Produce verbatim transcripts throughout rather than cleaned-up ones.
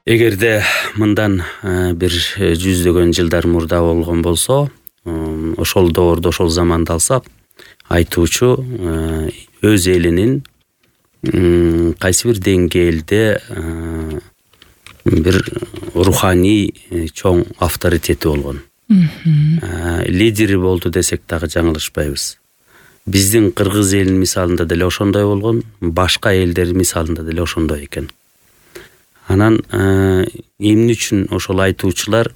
Эгерде мындан бир жүздөгөн жылдар мурда болгон болсо, ошол доордо, ошол заманды алсак, айтуучу өз элинин кайсы бир деңгээлде бир руханий чоң авторитети болгон. Лидери болду десек дагы жаңылышпайбыз. Биздин кыргыз элинин мисалында деле ошондой болгон, башка элдердин мисалында деле ошондой экен. Анан эмне үчүн ошол айтуучулар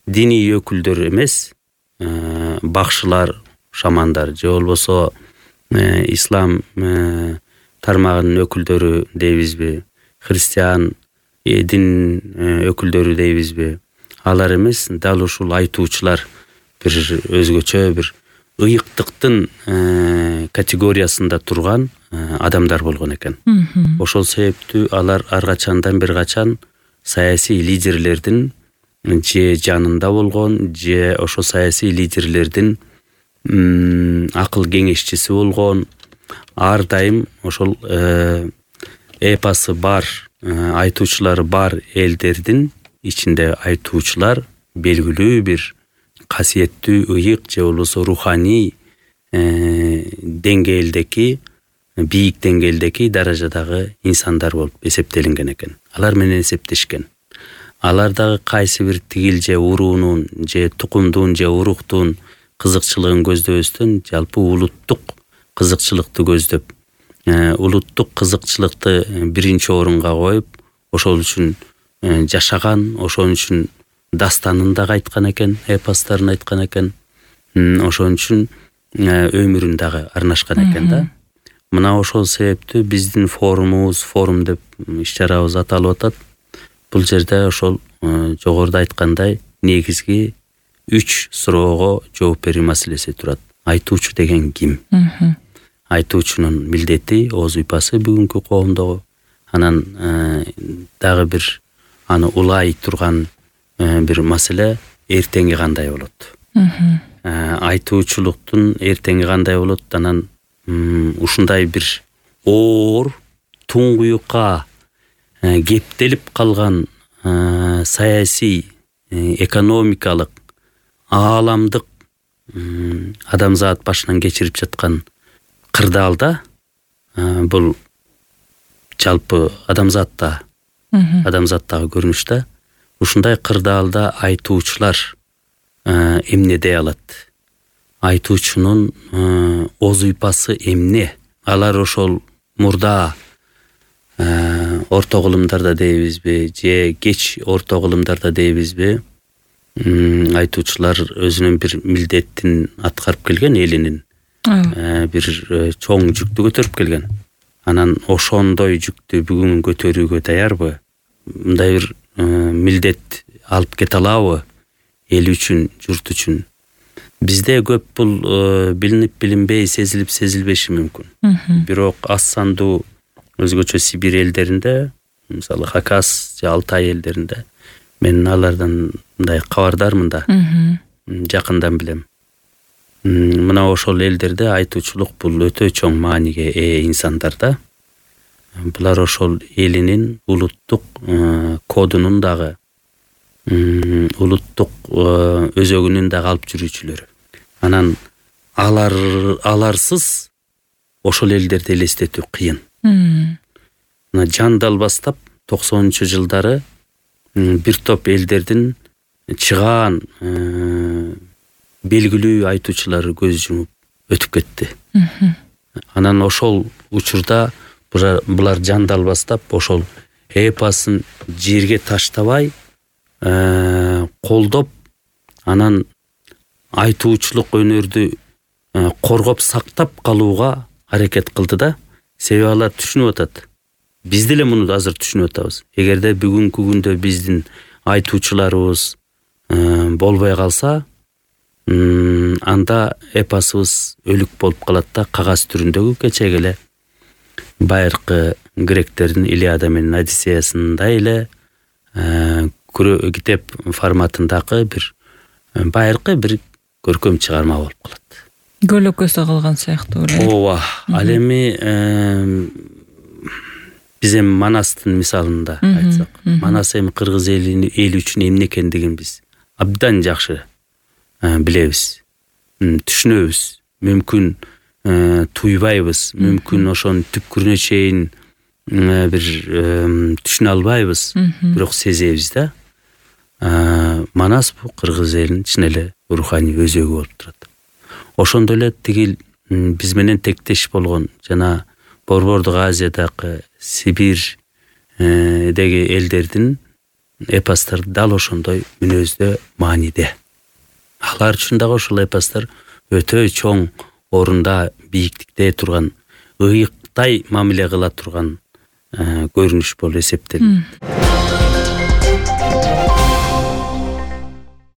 диний өкүлдөр эмес, бакшылар, шамандар же болбосо ислам тармагынын өкүлдөрү дейбизби, христиан дин өкүлдөрү дейбизби, алар эмес, дал ушул айтуучулар бир өзгөчө бир ыйыктыктын категориясында турган адамдар болгон экен. Ошол себептүү алар ар качандан бир качан саясий лидерлердин же жанында болгон, же ошо саясий лидерлердин акыл кеңешчиси болгон, ар дайым ошол эпосы бар, айтуучулары бар элдердин ичинде айтуучулар белгилүү бир касиеттүү, ыйык же болбосо руханий деңгээлдеки, бийик деңгээлдеки даражадагы инсандар болуп эсептелинген экен. Алар менен эсептешкен. Алар дагы кайсы бир тигил же уруунун, же тукумдун, же уруктун кызыкчылыгын көздөбөстөн, жалпы улуттук кызыкчылыкты көздөп, улуттук кызыкчылыкты биринчи орунга коюп, ошол үчүн жашаган, ошон үчүн дастанын дагы айткан экен, эпостарын айткан экен, ошон үчүн өмүрүн дагы арнашкан экен да. Мына ошол себептүү биздин форумубуз, форум деп иш-чарабыз аталып атат. Бул жерде ошол жогоруда айткандай негизги үч суроого жооп берүү маселеси турат. Айтуучу деген ким? Айтуучунун милдети, ооз уйпасы бүгүнкү коомдогу. Анан дагы бир аны улай турган бир маселе эртеңи кандай болот? Айтуучулуктун эртеңи кандай болот? Анан ушундай бир оор, туңгуюкка кептелип калган саясий, экономикалык, ааламдык адамзат башынан кечирип жаткан кырдаалда, бул жалпы адамзатта, адамзаттагы көрүнүш да, ушундай кырдаалда айтуучулар эмне дей алат? Айтуучунун ооз уйпасы эмне? Алар ошол мурда орто кылымдарда дейбизби, же кеч орто кылымдарда дейбизби, айтуучулар өзүнүн бир милдеттин аткарып келген, элинин бир чоң жүктү көтөрүп келген. Анан ошондой жүктү бүгүн көтөрүүгө даярбы? Мындай бир милдет алып кете алабы эл үчүн, журт үчүн? Бизде көп бул билинип билинбей, сезилип сезилбеши мүмкүн. Бирок аз сандуу өзгөчө Сибирь элдеринде, мисалы Хакас же Алтай элдеринде, мен алардан мындай кабардармын да, жакындан билем. Мына ошол элдерде айтуучулук бул өтө чоң мааниге ээ инсандар да. Булар ошол элинин улуттук кодунун дагы, улуттук өзөгүнүн дагы алып жүрүүчүлөрү. Анан алар аларсыз ошол элдерди элестетүү кыйын. Мына жандал баштап токсонунчу жылдары бир топ элдердин чыгаан белгилүү айтуучулары көз жумуп өтүп кетти. Анан ошол учурда булар жандал баштап ошол эпосын жерге таштабай колдоп, анан айтуучулук өнөрдү коргоп сактап калууга аракет кылды да. Себеби алар түшүнүп атат. Биз деле муну азыр түшүнүп атабыз. Эгерде бүгүнкү күндө биздин айтуучуларыбыз болбой калса, анда эпосубуз өлүк болуп калат да, кагаз түрүндөгү кечеги эле байыркы гректердин Илиада менен Одиссеясындай эле китеп форматындагы бир байыркы бир көркөм чыгарма болуп калат. Көлөкөсү калган сыяктуу эле. Ооба, ал эми биз эми Манастын мисалында айтсак, Манас эми кыргыз эли эл үчүн эмне экендигин биз абдан жакшы билебиз, түшүнөбүз. Мүмкүн туйбайбыз, мүмкүн ошонун түпкүрүнө чейин бир түшүнө албайбыз, бирок сезебиз да. Манас бул кыргыз элинин чын эле руханий өзөгү болуп турат. Ошондой эле тигил биз менен тектеш болгон жана Борбордук Азиядагы Сибирь деги элдердин эпостор дал ошондой мүнөздө, мааниде. Алар үчүн дагы ошол эпостор өтө чоң орунда, бийиктикте турган, ыйыктай мамиле кыла турган көрүнүш болуп эсептелет.